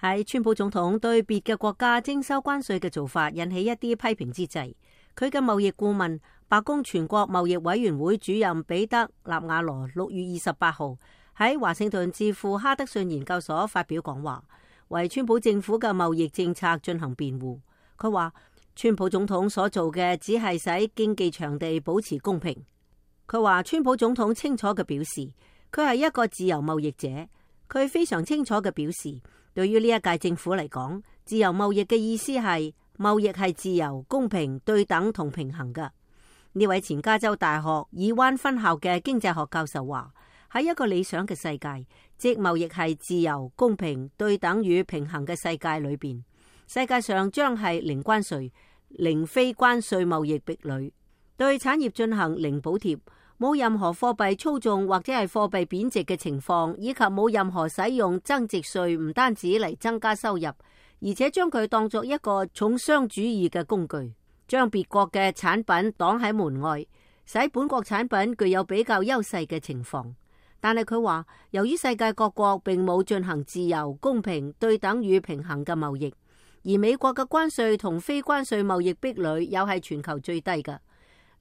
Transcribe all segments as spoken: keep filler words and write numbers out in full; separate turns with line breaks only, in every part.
喺川普總統對別嘅國家徵收關稅嘅做法引起一啲批評之際，佢嘅貿易顧問、白宮全國貿易委員會主任彼得納瓦羅六月二十八號喺華盛頓智庫哈德遜研究所發表講話，為川普政府嘅貿易政策進行辯護。佢話川普總統所做嘅只係使經濟場地保持公平。佢話川普總統清楚嘅表示，佢係一個自由貿易者。佢非常清楚嘅表示，對於呢一屆政府嚟講，自由貿易嘅意思係貿易係自由、公平、對等同平衡嘅。呢位前加州大學爾灣分校嘅經濟學教授話，喺一個理想嘅世界，即貿易係自由、公平、對等與平衡嘅世界裏邊，世界上將係零關稅、零非關稅貿易壁壘，對產業進行零補貼，冇任何貨幣操縱或者係貨幣貶值嘅情況，以及冇任何使用增值稅唔單止嚟增加收入，而且將佢當作一個重商主義嘅工具，將別國嘅產品擋喺門外，使本國產品具有比較優勢嘅情況。但係佢話，由於世界各國並冇進行自由、公平、對等與平衡嘅貿易，而美國嘅關稅同非關稅貿易壁壘又係全球最低嘅。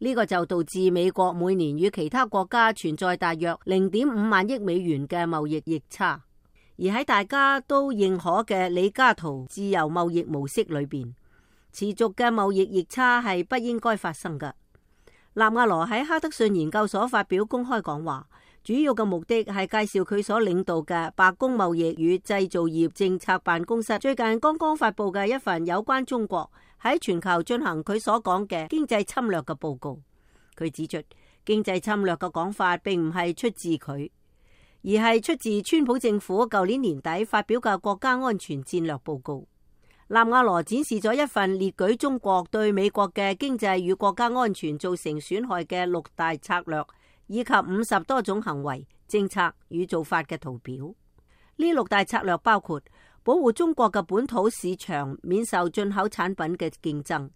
呢個就導致美國每年與其他國家存在大約零點五萬億美元嘅貿易逆差，而喺大家都認可嘅李嘉圖自由貿易模式裏邊，持續嘅貿易逆差係不應該發生嘅。納瓦羅喺哈德遜研究所發表公開講話，主要嘅目的係介紹佢所領導嘅白宮貿易與製造業政策辦公室最近剛剛發佈嘅一份有關中國喺全球進行佢所講嘅經濟侵略嘅報告。佢指出，經濟侵略嘅講法並唔係出自佢，而係出自川普政府舊年年底發表嘅國家安全戰略報告。納瓦羅展示咗一份列舉中國對美國嘅經濟與國家安全造成損害嘅六大策略，以及五十多種行為、政策與做法嘅圖表。呢六大策略包括保護中國嘅本土市場免受進口產品嘅競爭，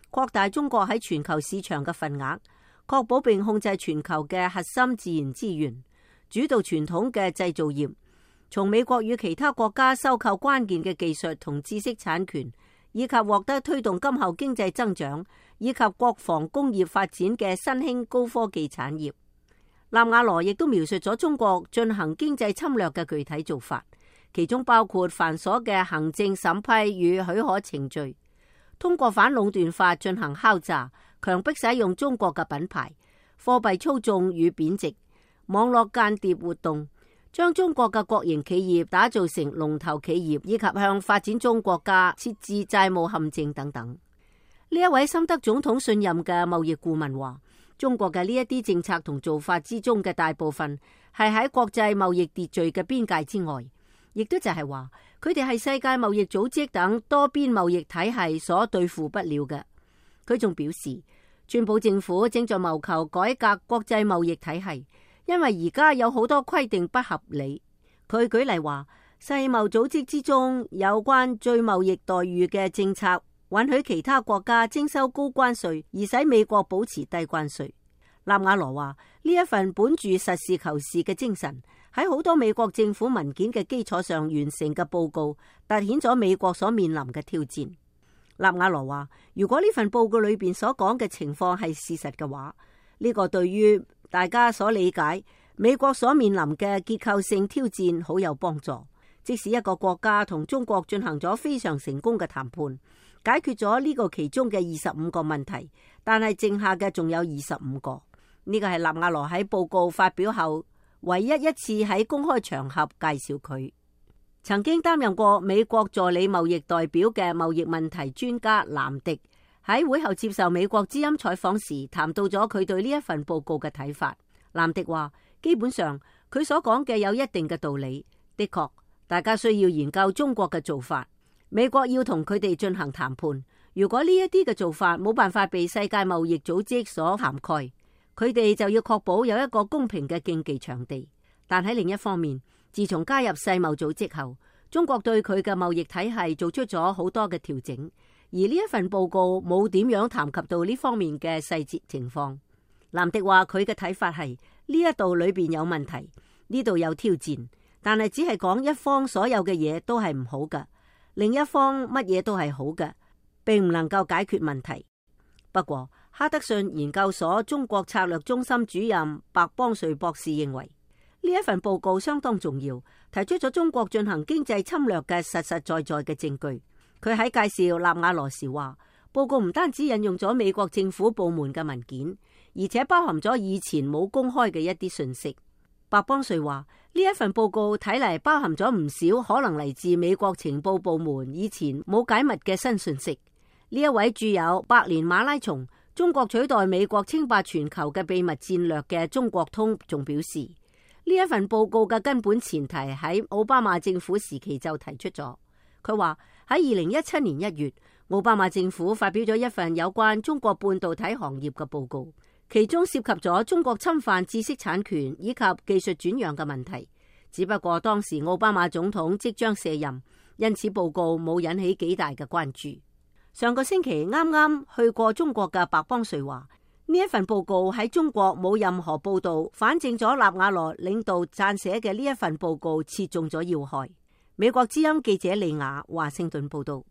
擴大中國喺全球市場嘅份額，確保並控制全球嘅核心自然資源，主導傳統嘅製造業，從美國與其他國家收購關鍵嘅技術同知識產權，以及獲得推動今後經濟增長以及國防工業發展嘅新興高科技產業。納瓦羅亦都描述咗中國進行經濟侵略嘅具體做法，其中包括繁瑣嘅行政審批與許可程序，通過反壟斷法進行敲詐，強迫使用中國嘅品牌，貨幣操縱與貶值，網絡間諜活動，將中國嘅國營企業打造成龍頭企業，以及向發展中國家設置債務陷阱等等。呢一位深得總統信任嘅貿易顧問話，中國嘅呢一啲政策同做法之中嘅大部分係喺國際貿易秩序嘅邊界之外，亦都就係話佢哋係世界貿易組織等多邊貿易體系所對付不了嘅。佢仲表示，川普政府正在謀求改革國際貿易體系，因為而家有好多規定不合理。佢舉例話，世貿組織之中有關最貿易待遇嘅政策，允許其他國家徵收高關稅，而使美國保持低關稅。納瓦羅話，呢一份本住實事求是嘅精神，喺好多美國政府文件嘅基礎上完成嘅報告，凸顯咗美國所面臨嘅挑戰。納瓦羅話，如果呢份報告裏邊所講嘅情況係事實嘅話，呢個對於大家所理解美國所面臨嘅結構性挑戰好有幫助。即使一個國家同中國進行咗非常成功嘅談判，解決咗呢個其中嘅二十五個問題，但係剩下嘅仲有二十五個。呢個係納瓦羅喺報告發表後唯一一次喺公開場合介紹佢。曾經擔任過美國助理貿易代表嘅貿易問題專家藍迪喺會後接受美國之音採訪時，談到咗佢對呢一份報告嘅睇法。藍迪話，基本上佢所講嘅有一定嘅道理，的確大家需要研究中國嘅做法，美國要同佢哋進行談判。如果呢一啲嘅做法冇辦法被世界貿易組織所涵蓋，佢哋就要確保有一個公平嘅競技場地。但喺另一方面，自從加入世貿組織後，中國對佢嘅貿易體系做出咗好多嘅調整，而呢一份報告冇點樣談及到呢方面嘅細節情況。藍迪話佢嘅睇法係呢一度裏邊有問題，呢度有挑戰，但係只係講一方所有嘅嘢都係唔好㗎，另一方乜嘢都係好嘅，並唔能夠解決問題。不過，哈德遜研究所中國策略中心主任白邦瑞博士認為，呢一份報告相當重要，提出咗中國進行經濟侵略嘅實實在在嘅證據。佢喺介紹納瓦羅時話，報告唔單止引用咗美國政府部門嘅文件，而且包含咗以前冇公開嘅一啲信息。白邦瑞話，呢一份報告睇嚟包含咗唔少可能嚟自美國情報部門以前冇解密嘅新信息。呢一位著有《百年馬拉松：中國取代美國稱霸全球嘅秘密戰略》嘅中國通仲表示，呢一份報告嘅根本前提喺奧巴馬政府時期就提出咗。佢話喺二零一七年一月，奧巴馬政府發表咗一份有關中國半導體行業嘅報告，其中涉及咗中國侵犯知識產權以及技術轉讓嘅問題。只不過當時奧巴馬總統即將卸任，因此報告冇引起幾大嘅關注。上個星期啱啱去過中國嘅白邦瑞話，呢一份報告喺中國冇任何報道，反證咗納瓦羅領導撰寫嘅呢一份報告切中咗要害。美國之音記者利亞華盛頓報道。